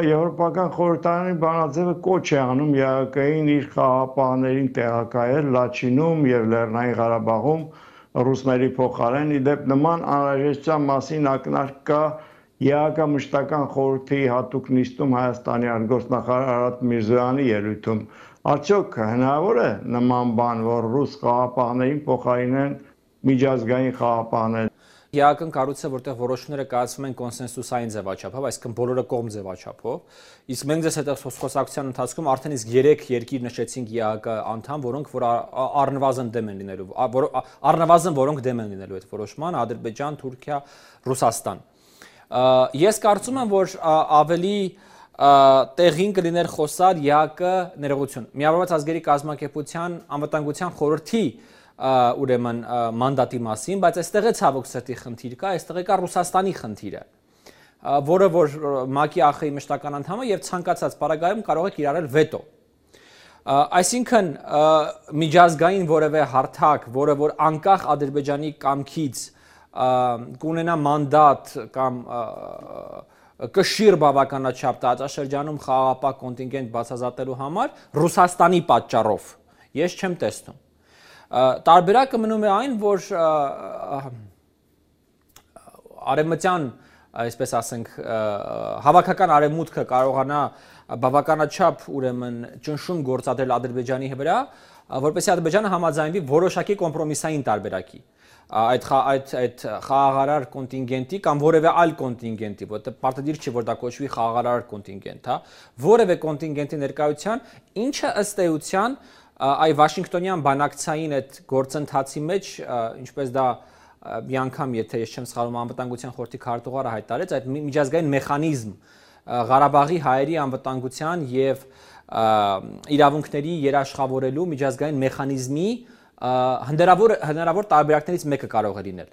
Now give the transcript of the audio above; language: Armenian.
Եվրոպական խորհրդարանի բանաձևը կոչ է անում ԵԱՀԿ-ին իր խաղաղապահներին տեղակայել Լաչինում եւ Լեռնային Ղարաբաղում ռուսների փոխարեն։ Իդեպ նման անհրաժեշտության մասին ակնարկ կա ԵԱՀԿ մշտական խորհրդի հատուկ նիստում Հայաստանի արտգործնախարար Արադ Միրզոյանի ելույթում։ Արդյոք հնարավոր է նման բան, որ ռուս խաղաղապահներին փոխարինեն միջազգային խաղաղապահներ։ ԵԱՀԿ-ն կառույց է, որտեղ որոշումները կայացվում են կոնսենսուսային ձևաչափով, այսինքն բոլորը կողմ ձևաչափով։ Իսկ մենք ձեզ հետ խոսակցության ընթացքում արդեն իսկ 3 երկիր նշեցինք ԵԱՀԿ անդամ, որոնք որ առնվազն դեմ են լինելու, որոնք դեմ են լինելու այդ որոշման՝ Ադրբեջան, Թուրքիա, Ռուսաստան։ Ես կարծում եմ, որ ավելի տեղին կլիներ խոսալ ԵԱՀԿ ներողություն, Միավորված ազգերի կազմակերպության անվտանգության խորհրդի ուրեմն մանդատի մասին, բայց այստեղ է ցավոք սրտի խնդիր կա, այստեղ կա Ռուսաստանի խնդիրը, որը որ ՄԱԿ-ի ԱԽ-ի մշտական անդամը եւ ցանկացած պարագայում կարող է կիրառել վետո։ Այսինքն միջազգային որևէ հարթակ, որը որ անկախ Ադրբեջանի կամքից կունենա մանդատ կամ կշիռ բավականաչափ տարածաշրջանում խաղաղապահ կոնտինգենտ բացահայտելու համար Ռուսաստանի պատճառով ես չեմ տեսնում։ Տարբերակը մնում է այն, որ արևմտյան, այսպես ասենք, հավաքական արևմուտքը կարողանա բավականաչափ ուրեմն ճնշում գործադրել Ադրբեջանի վրա, որպեսզի Ադրբեջանը համաձայնվի որոշակի կոմպրոմիսային տարբերակի այդ խաղաղարար կոնտինգենտի կամ որևէ այլ կոնտինգենտի, որտեղ պարտադիր չի, որ դա կոչվի խաղաղարար կոնտինգենտ, հա, որևէ կոնտինգենտի ներկայության, ինչը ըստ էության այ Վաշինգտոնյան բանակցային այդ գործընթացի մեջ, ինչպես դա մի անգամ, եթե ես չեմ սխալվում, անվտանգության խորհրդի քարտուղարը հայտարարեց, այդ միջազգային մեխանիզմ Ղարաբաղի հայերի անվտանգության եւ իրավունքների երաշխավորելու միջազգային մեխանիզմի հնարավոր տարբերակներից մեկը կարող է լինել։